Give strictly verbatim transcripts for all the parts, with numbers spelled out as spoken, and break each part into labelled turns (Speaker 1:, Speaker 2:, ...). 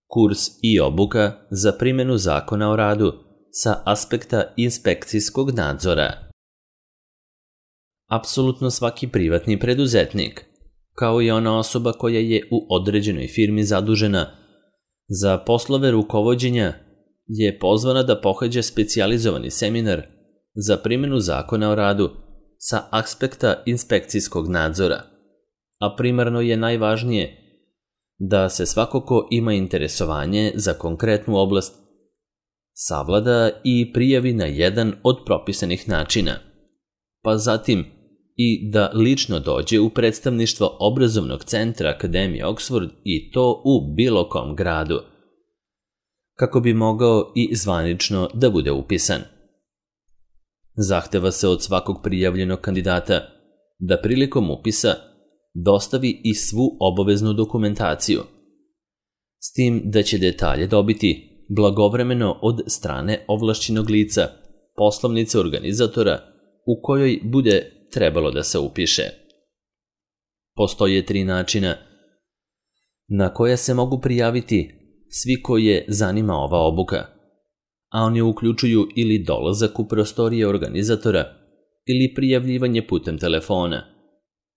Speaker 1: kurs i obuka za primjenu Zakona o radu sa aspekta inspekcijskog nadzora. Apsolutno svaki privatni preduzetnik, kao i ona osoba koja je u određenoj firmi zadužena za poslove rukovođenja, je pozvana da pohađa specijalizovani seminar za primjenu Zakona o radu sa aspekta inspekcijskog nadzora, a primarno je najvažnije da se svako ko ima interesovanje za konkretnu oblast savlada i prijavi na jedan od propisanih načina, pa zatim i da lično dođe u predstavništvo obrazovnog centra Akademije Oxford i to u bilo kom gradu, kako bi mogao i zvanično da bude upisan. Zahteva se od svakog prijavljenog kandidata da prilikom upisa dostavi i svu obaveznu dokumentaciju, s tim da će detalje dobiti blagovremeno od strane ovlašćenog lica, poslovnice organizatora u kojoj bude trebalo da se upiše. Postoje tri načina na koja se mogu prijaviti svi koje zanima ova obuka, a oni uključuju ili dolazak u prostorije organizatora ili prijavljivanje putem telefona,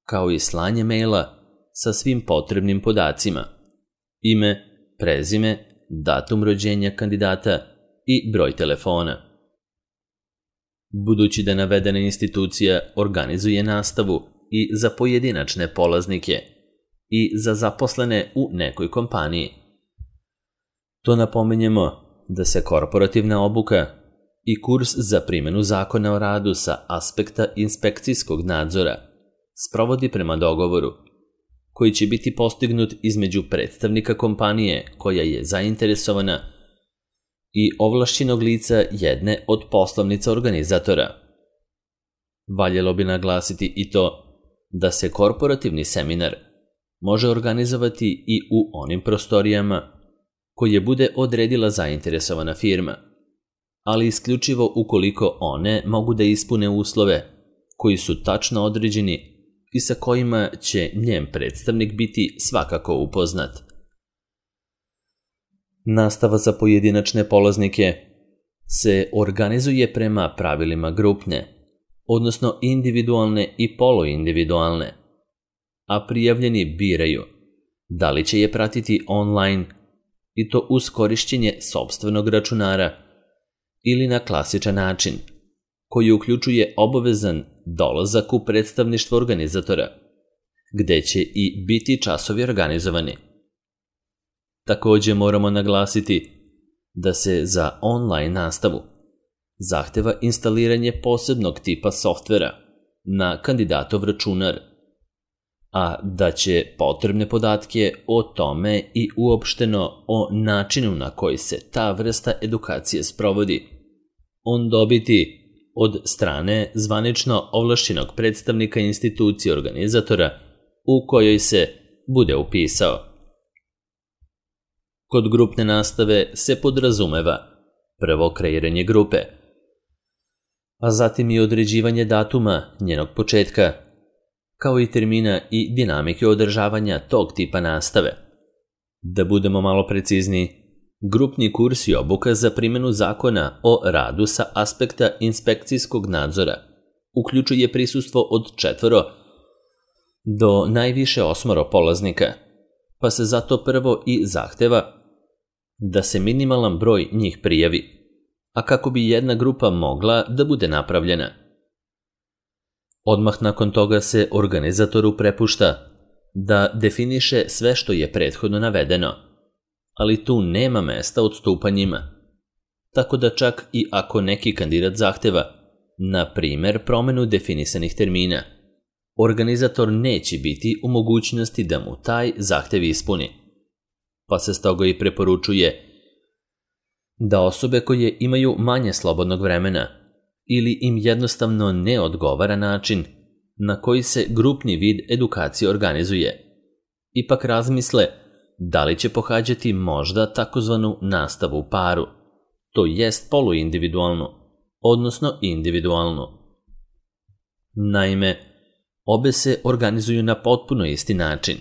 Speaker 1: kao i slanje maila sa svim potrebnim podacima, ime, prezime, datum rođenja kandidata i broj telefona. Budući da navedena institucija organizuje nastavu i za pojedinačne polaznike i za zaposlene u nekoj kompaniji, to napominjemo da se korporativna obuka i kurs za primjenu Zakona o radu sa aspekta inspekcijskog nadzora sprovodi prema dogovoru, koji će biti postignut između predstavnika kompanije koja je zainteresovana i ovlašćenog lica jedne od poslovnica organizatora. Valjalo bi naglasiti i to da se korporativni seminar može organizovati i u onim prostorijama koje bude odredila zainteresovana firma, ali isključivo ukoliko one mogu da ispune uslove koji su tačno određeni i sa kojima će njen predstavnik biti svakako upoznat. Nastava za pojedinačne polaznike se organizuje prema pravilima grupne, odnosno individualne i poluindividualne, a prijavljeni biraju da li će je pratiti online i to uz korišćenje sopstvenog računara ili na klasičan način, koji uključuje obavezan dolazak u predstavništvo organizatora, gde će i biti časovi organizovani. Takođe moramo naglasiti da se za online nastavu zahteva instaliranje posebnog tipa softvera na kandidatov računar, a da će potrebne podatke o tome i uopšteno o načinu na koji se ta vrsta edukacije sprovodi on dobiti od strane zvanično ovlašćenog predstavnika institucije organizatora u kojoj se bude upisao. Kod grupne nastave se podrazumeva prvo kreiranje grupe, a zatim i određivanje datuma njenog početka, kao i termina i dinamike održavanja tog tipa nastave. Da budemo malo precizniji, grupni kurs i obuka za primjenu Zakona o radu sa aspekta inspekcijskog nadzora uključuje prisustvo od četvoro do najviše osmoro polaznika, pa se zato prvo i zahteva da se minimalan broj njih prijavi, a kako bi jedna grupa mogla da bude napravljena. Odmah nakon toga se organizatoru prepušta da definiše sve što je prethodno navedeno, ali tu nema mesta odstupanjima, tako da čak i ako neki kandidat zahteva, na primer, promenu definisanih termina, organizator neće biti u mogućnosti da mu taj zahtev ispuni, pa se stoga i preporučuje da osobe koje imaju manje slobodnog vremena ili im jednostavno ne odgovara način na koji se grupni vid edukacije organizuje, ipak razmisle da li će pohađati možda takozvanu nastavu u paru, to jest poluindividualnu, odnosno individualnu. Naime, obe se organizuju na potpuno isti način,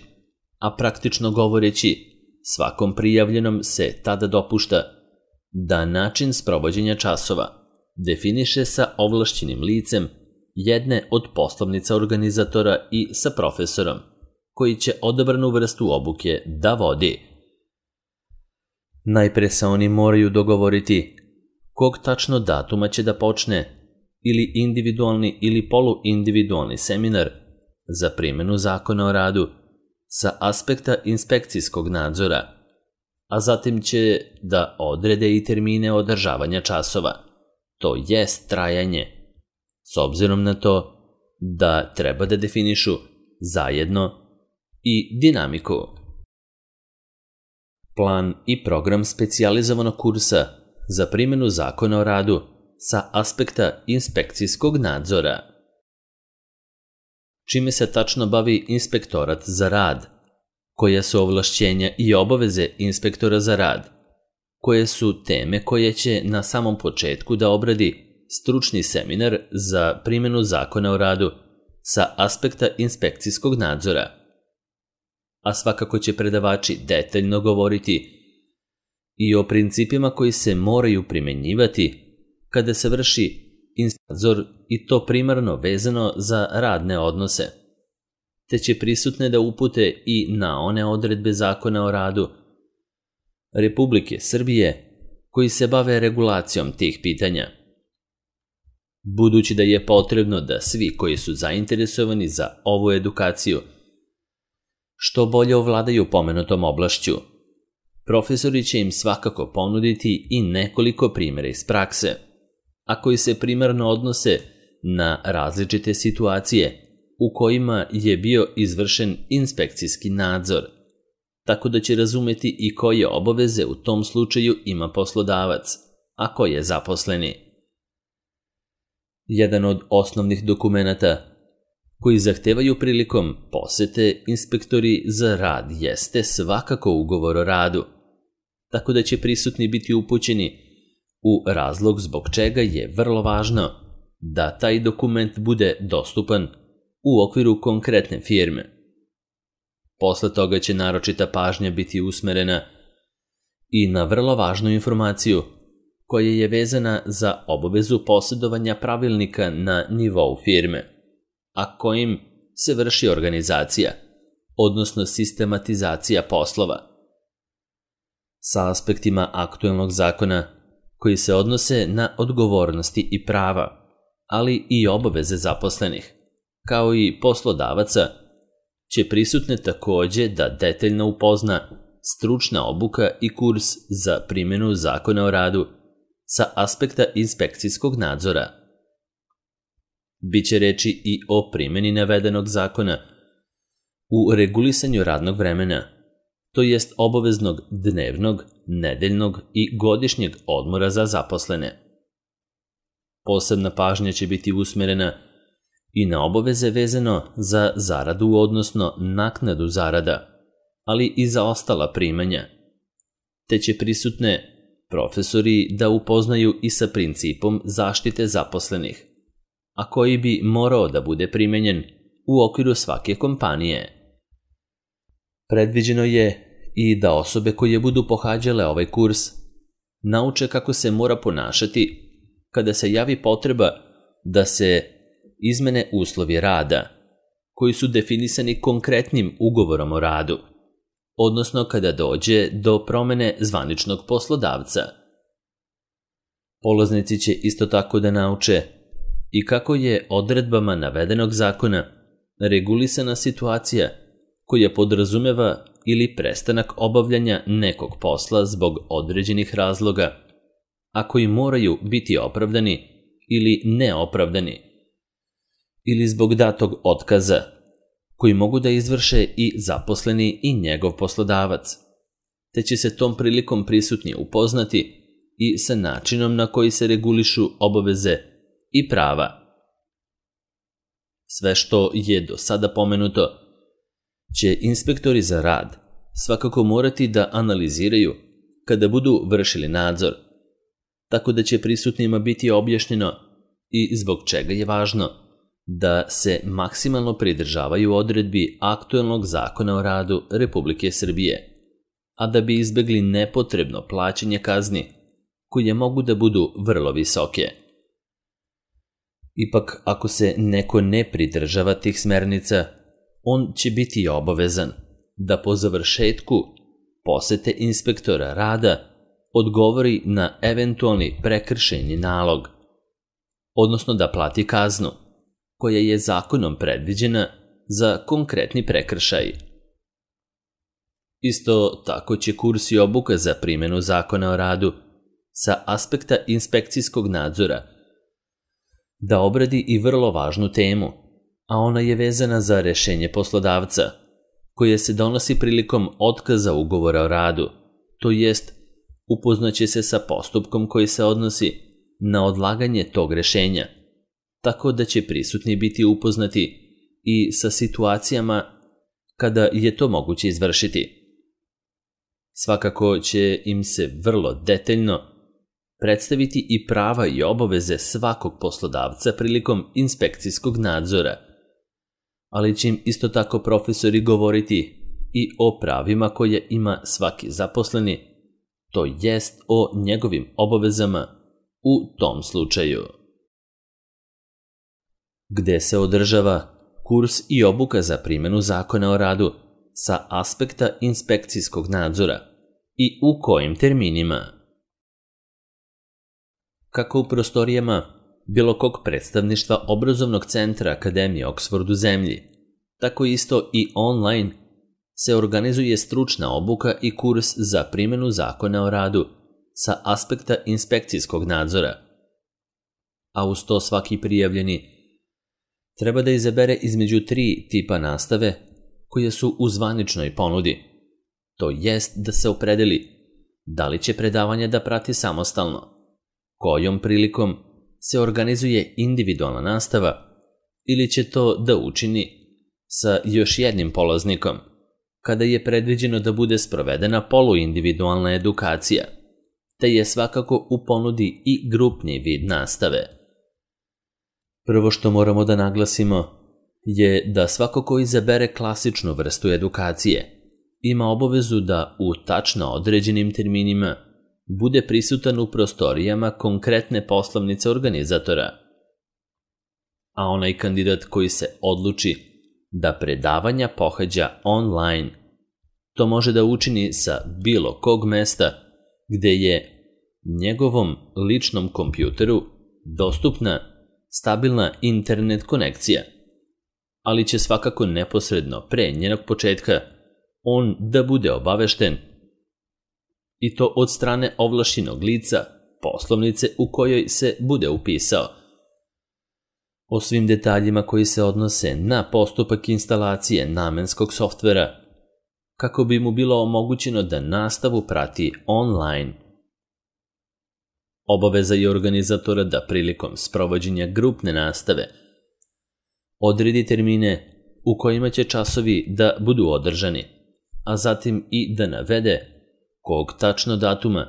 Speaker 1: a praktično govoreći, svakom prijavljenom se tada dopušta da način sprovođenja časova definiše sa ovlašćenim licem jedne od poslovnica organizatora i sa profesorom, koji će odabranu vrstu obuke da vodi. Najpre se oni moraju dogovoriti kog tačno datuma će da počne ili individualni ili poluindividualni seminar za primjenu zakona o radu sa aspekta inspekcijskog nadzora, a zatim će da odrede i termine održavanja časova, to jest trajanje, s obzirom na to da treba da definišu zajedno i dinamiku. Plan i program specijalizovanog kursa za primjenu zakona o radu sa aspekta inspekcijskog nadzora. Čime se tačno bavi inspektorat za rad? Koja su ovlašćenja i obaveze inspektora za rad? Koje su teme koje će na samom početku da obradi stručni seminar za primjenu zakona o radu sa aspekta inspekcijskog nadzora? A svakako će predavači detaljno govoriti i o principima koji se moraju primenjivati kada se vrši nadzor i to primarno vezano za radne odnose, te će prisutne da upute i na one odredbe zakona o radu Republike Srbije koji se bave regulacijom tih pitanja. Budući da je potrebno da svi koji su zainteresovani za ovu edukaciju što bolje ovladaju pomenutom oblašću, profesori će im svakako ponuditi i nekoliko primjera iz prakse, a koji se primarno odnose na različite situacije u kojima je bio izvršen inspekcijski nadzor, tako da će razumeti i koje obaveze u tom slučaju ima poslodavac, a koje zaposleni. Jedan od osnovnih dokumenata koji zahtevaju prilikom posete inspektori za rad jeste svakako ugovor o radu, tako da će prisutni biti upućeni u razlog zbog čega je vrlo važno da taj dokument bude dostupan u okviru konkretne firme. Posle toga će naročita pažnja biti usmerena i na vrlo važnu informaciju koja je vezana za obavezu posjedovanja pravilnika na nivou firme, a kojim se vrši organizacija, odnosno sistematizacija poslova. Sa aspektima aktuelnog zakona koji se odnose na odgovornosti i prava, ali i obaveze zaposlenih, kao i poslodavaca, će prisutne takođe da detaljno upozna stručna obuka i kurs za primjenu zakona o radu sa aspekta inspekcijskog nadzora. Biće reči i o primjeni navedenog zakona u regulisanju radnog vremena, to jest obaveznog dnevnog, nedeljnog i godišnjeg odmora za zaposlene. Posebna pažnja će biti usmerena i na obaveze vezano za zaradu, odnosno naknadu zarada, ali i za ostala primanja, te će prisutne profesori da upoznaju i sa principom zaštite zaposlenih, a koji bi morao da bude primenjen u okviru svake kompanije. Predviđeno je i da osobe koje budu pohađale ovaj kurs nauče kako se mora ponašati kada se javi potreba da se izmene uslovi rada koji su definisani konkretnim ugovorom o radu, odnosno kada dođe do promene zvaničnog poslodavca. Polaznici će isto tako da nauče i kako je odredbama navedenog zakona regulisana situacija koja podrazumeva ili prestanak obavljanja nekog posla zbog određenih razloga, a koji moraju biti opravdani ili neopravdani, ili zbog datog otkaza, koji mogu da izvrše i zaposleni i njegov poslodavac, te će se tom prilikom prisutni upoznati i sa načinom na koji se regulišu obaveze i prava. Sve što je do sada pomenuto će inspektori za rad svakako morati da analiziraju kada budu vršili nadzor, tako da će prisutnima biti objašnjeno i zbog čega je važno da se maksimalno pridržavaju odredbi aktuelnog zakona o radu Republike Srbije, a da bi izbegli nepotrebno plaćanje kazni, koje mogu da budu vrlo visoke. Ipak, ako se neko ne pridržava tih smernica, on će biti obavezan da po završetku posete inspektora rada odgovori na eventualni prekršajni nalog, odnosno da plati kaznu, koja je zakonom predviđena za konkretni prekršaj. Isto tako će kurs i obuka za primjenu zakona o radu sa aspekta inspekcijskog nadzora da obradi i vrlo važnu temu, a ona je vezana za rešenje poslodavca, koje se donosi prilikom otkaza ugovora o radu, to jest upoznaće se sa postupkom koji se odnosi na odlaganje tog rešenja, tako da će prisutni biti upoznati i sa situacijama kada je to moguće izvršiti. Svakako će im se vrlo detaljno predstaviti i prava i obaveze svakog poslodavca prilikom inspekcijskog nadzora, ali će im isto tako profesori govoriti i o pravima koje ima svaki zaposleni, to jest o njegovim obavezama u tom slučaju. Gde se održava kurs i obuka za primjenu zakona o radu sa aspekta inspekcijskog nadzora i u kojim terminima? Kako u prostorijama bilo kog predstavništva obrazovnog centra Akademije Oxford u zemlji, tako isto i online se organizuje stručna obuka i kurs za primjenu zakona o radu sa aspekta inspekcijskog nadzora. A uz to svaki prijavljeni treba da izabere između tri tipa nastave koje su u zvaničnoj ponudi. To jest da se opredeli da li će predavanja da prati samostalno, kojom prilikom se organizuje individualna nastava ili će to da učini sa još jednim polaznikom, kada je predviđeno da bude sprovedena poluindividualna edukacija, te je svakako u ponudi i grupni vid nastave. Prvo što moramo da naglasimo je da svako ko izabere klasičnu vrstu edukacije ima obavezu da u tačno određenim terminima bude prisutan u prostorijama konkretne poslovnice organizatora. A onaj kandidat koji se odluči da predavanja pohađa online, to može da učini sa bilo kog mesta gde je njegovom ličnom kompjuteru dostupna stabilna internet konekcija, ali će svakako neposredno pre njenog početka on da bude obavešten, i to od strane ovlašćenog lica poslovnice u kojoj se bude upisao, o svim detaljima koji se odnose na postupak instalacije namenskog softvera, kako bi mu bilo omogućeno da nastavu prati online. Obaveza je organizatora da prilikom sprovođenja grupne nastave odredi termine u kojima će časovi da budu održani, a zatim i da navede kog tačno datuma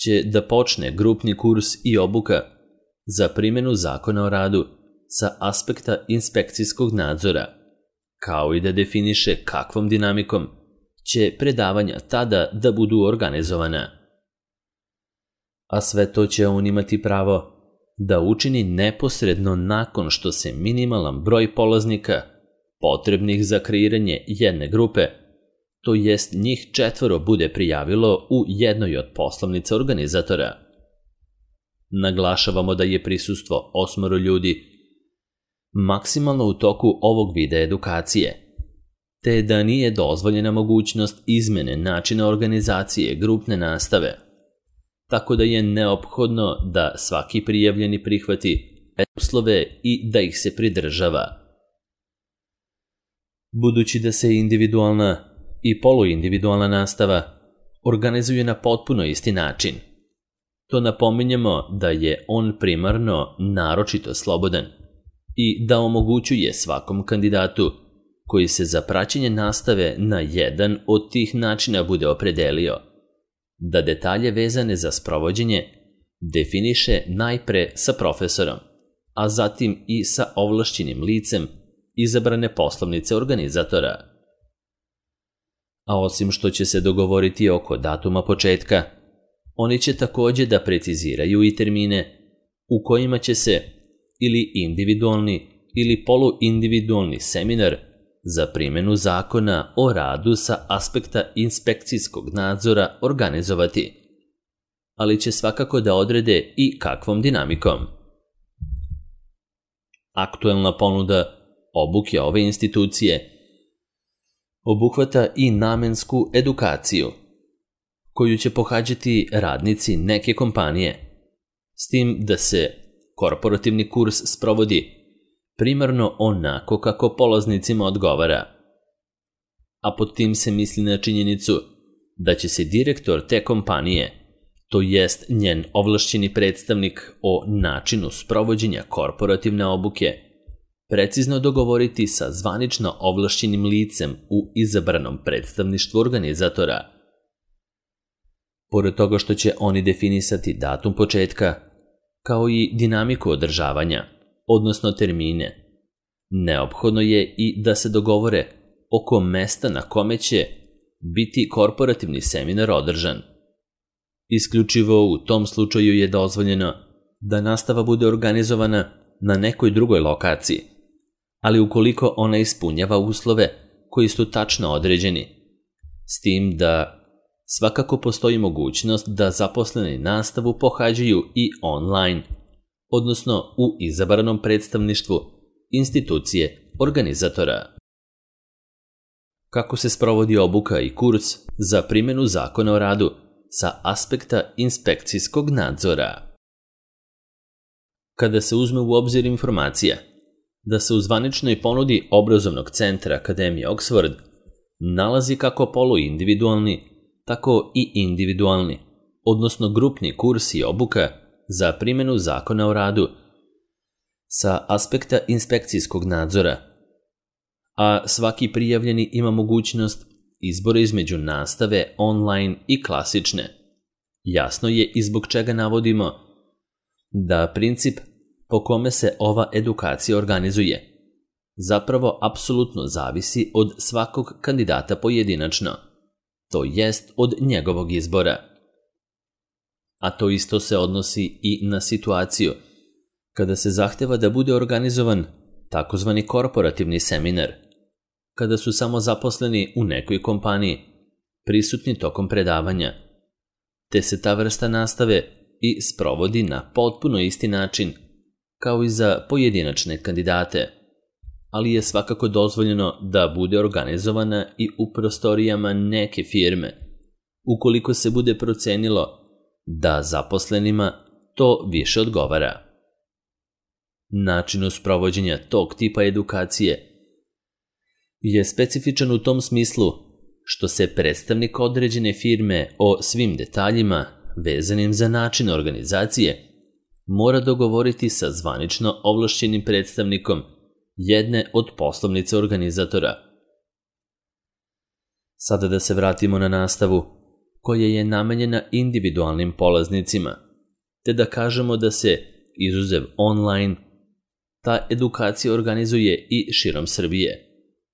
Speaker 1: će da počne grupni kurs i obuka za primjenu zakona o radu sa aspekta inspekcijskog nadzora, kao i da definiše kakvom dinamikom će predavanja tada da budu organizovana. A sve to će on imati pravo da učini neposredno nakon što se minimalan broj polaznika potrebnih za kreiranje jedne grupe, to jest njih četvoro, bude prijavilo u jednoj od poslovnica organizatora. Naglašavamo da je prisustvo osmoro ljudi maksimalno u toku ovog vida edukacije, te da nije dozvoljena mogućnost izmene načina organizacije grupne nastave, tako da je neophodno da svaki prijavljeni prihvati uslove i da ih se pridržava. Budući da se individualna i poluindividualna nastava organizuje na potpuno isti način, to napominjemo da je on primarno naročito slobodan i da omogućuje svakom kandidatu koji se za praćenje nastave na jedan od tih načina bude opredelio, da detalje vezane za sprovođenje definiše najpre sa profesorom, a zatim i sa ovlašćenim licem izabrane poslovnice organizatora. A osim što će se dogovoriti oko datuma početka, oni će također da preciziraju i termine u kojima će se ili individualni ili poluindividualni seminar za primjenu zakona o radu sa aspekta inspekcijskog nadzora organizovati, ali će svakako da odrede i kakvom dinamikom. Aktuelna ponuda obuke ove institucije obuhvata i namensku edukaciju, koju će pohađati radnici neke kompanije, s tim da se korporativni kurs sprovodi primarno onako kako polaznicima odgovara. A pod tim se misli na činjenicu da će se direktor te kompanije, to jest njen ovlašćeni predstavnik o načinu sprovođenja korporativne obuke, precizno dogovoriti sa zvanično ovlašćenim licem u izabranom predstavništvu organizatora. Pored toga što će oni definisati datum početka, kao i dinamiku održavanja, odnosno termine, neophodno je i da se dogovore oko mesta na kome će biti korporativni seminar održan. Isključivo u tom slučaju je dozvoljeno da nastava bude organizovana na nekoj drugoj lokaciji, ali ukoliko ona ispunjava uslove koji su tačno određeni, s tim da svakako postoji mogućnost da zaposleni nastavu pohađaju i online, odnosno u izabranom predstavništvu institucije organizatora. Kako se sprovodi obuka i kurs za primjenu zakona o radu sa aspekta inspekcijskog nadzora? Kada se uzme u obzir informacija da se u zvaničnoj ponudi obrazovnog centra Akademije Oxford nalazi kako poluindividualni, tako i individualni, odnosno grupni kurs i obuka za primjenu zakona o radu sa aspekta inspekcijskog nadzora, a svaki prijavljeni ima mogućnost izbora između nastave online i klasične. Jasno je i zbog čega navodimo da princip po kome se ova edukacija organizuje zapravo apsolutno zavisi od svakog kandidata pojedinačno, to jest od njegovog izbora. A to isto se odnosi i na situaciju kada se zahteva da bude organizovan takozvani korporativni seminar, kada su samo zaposleni u nekoj kompaniji prisutni tokom predavanja, te se ta vrsta nastave i sprovodi na potpuno isti način kao i za pojedinačne kandidate, ali je svakako dozvoljeno da bude organizovana i u prostorijama neke firme, ukoliko se bude procenilo da zaposlenima to više odgovara. Način sprovođenja tog tipa edukacije je specifičan u tom smislu što se predstavnik određene firme o svim detaljima vezanim za način organizacije mora dogovoriti sa zvanično ovlašćenim predstavnikom jedne od poslovnice organizatora. Sada da se vratimo na nastavu koja je namenjena individualnim polaznicima, te da kažemo da se, izuzev online, ta edukacija organizuje i širom Srbije,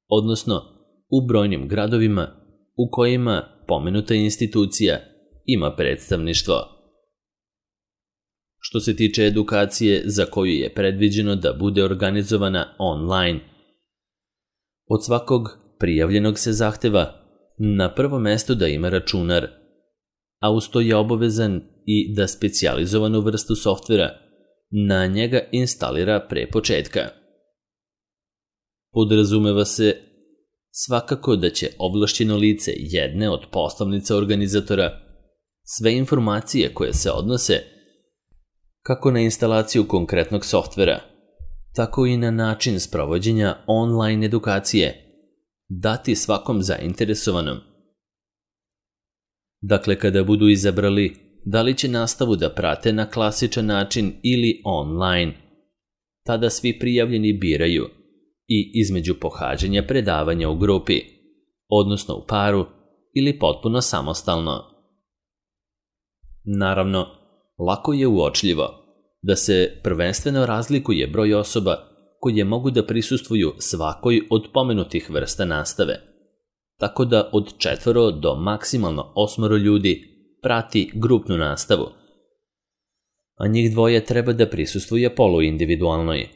Speaker 1: odnosno u brojnim gradovima u kojima pomenuta institucija ima predstavništvo. Što se tiče edukacije za koju je predviđeno da bude organizovana online, od svakog prijavljenog se zahteva na prvo mesto da ima računar, a uz to je obavezan i da specijalizovanu vrstu softvera na njega instalira pre početka. Podrazumeva se svakako da će ovlašćeno lice jedne od poslovnica organizatora sve informacije koje se odnose kako na instalaciju konkretnog softvera, tako i na način sprovođenja online edukacije dati svakom zainteresovanom. Dakle, kada budu izabrali da li će nastavu da prate na klasičan način ili online, tada svi prijavljeni biraju i između pohađanja predavanja u grupi, odnosno u paru ili potpuno samostalno. Naravno, lako je uočljivo da se prvenstveno razlikuje broj osoba koje mogu da prisustvuju svakoj od pomenutih vrsta nastave, tako da od četvoro do maksimalno osmoro ljudi prati grupnu nastavu, a njih dvoje treba da prisustvuje poluindividualnoj,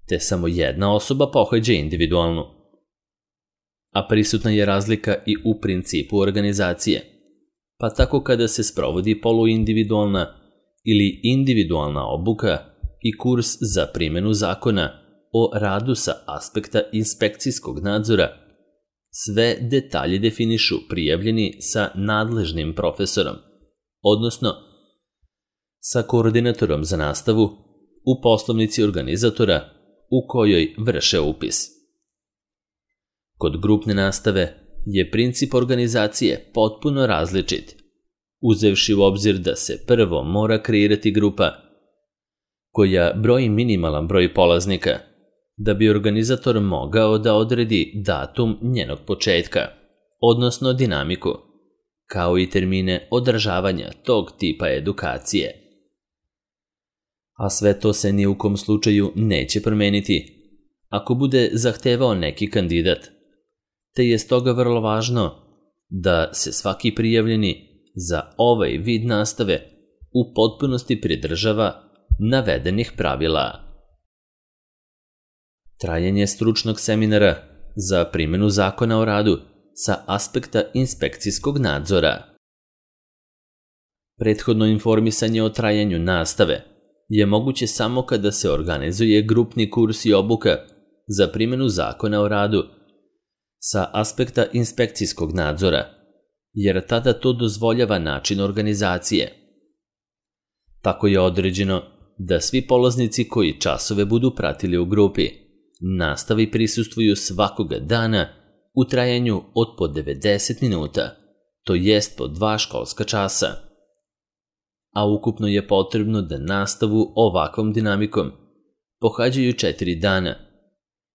Speaker 1: te samo jedna osoba pohađa individualnu. A prisutna je razlika i u principu organizacije, pa tako kada se sprovodi poluindividualna ili individualna obuka i kurs za primjenu zakona o radu sa aspekta inspekcijskog nadzora, sve detalje definišu prijavljeni sa nadležnim profesorom, odnosno sa koordinatorom za nastavu u poslovnici organizatora u kojoj vrše upis. Kod grupne nastave je princip organizacije potpuno različit, uzevši u obzir da se prvo mora kreirati grupa koja broji minimalan broj polaznika, da bi organizator mogao da odredi datum njenog početka, odnosno dinamiku, kao i termine održavanja tog tipa edukacije. A sve to se ni u kom slučaju neće promeniti ako bude zahtevao neki kandidat, te je stoga vrlo važno da se svaki prijavljeni za ovaj vid nastave u potpunosti pridržava navedenih pravila. Trajanje stručnog seminara za primjenu zakona o radu sa aspekta inspekcijskog nadzora. Prethodno informisanje o trajanju nastave je moguće samo kada se organizuje grupni kurs i obuka za primjenu zakona o radu sa aspekta inspekcijskog nadzora, jer tada to dozvoljava način organizacije. Tako je određeno da svi polaznici koji časove budu pratili u grupi nastavi prisustvuju svakoga dana u trajanju od po devedeset minuta, to jest po dva školska časa. A ukupno je potrebno da nastavu ovakvom dinamikom pohađaju četiri dana,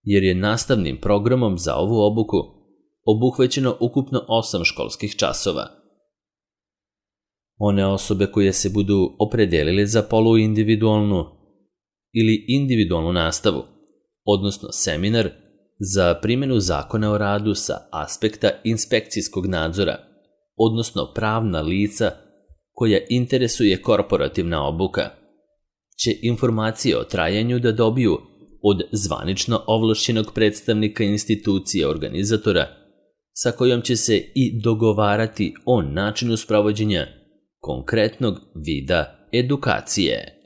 Speaker 1: jer je nastavnim programom za ovu obuku obuhvaćeno ukupno osam školskih časova. One osobe koje se budu opredelile za poluindividualnu ili individualnu nastavu, odnosno seminar za primjenu zakona o radu sa aspekta inspekcijskog nadzora, odnosno pravna lica koja interesuje korporativna obuka, će informacije o trajanju da dobiju od zvanično ovlašćenog predstavnika institucije organizatora, sa kojom će se i dogovarati o načinu sprovođenja konkretnog vida edukacije.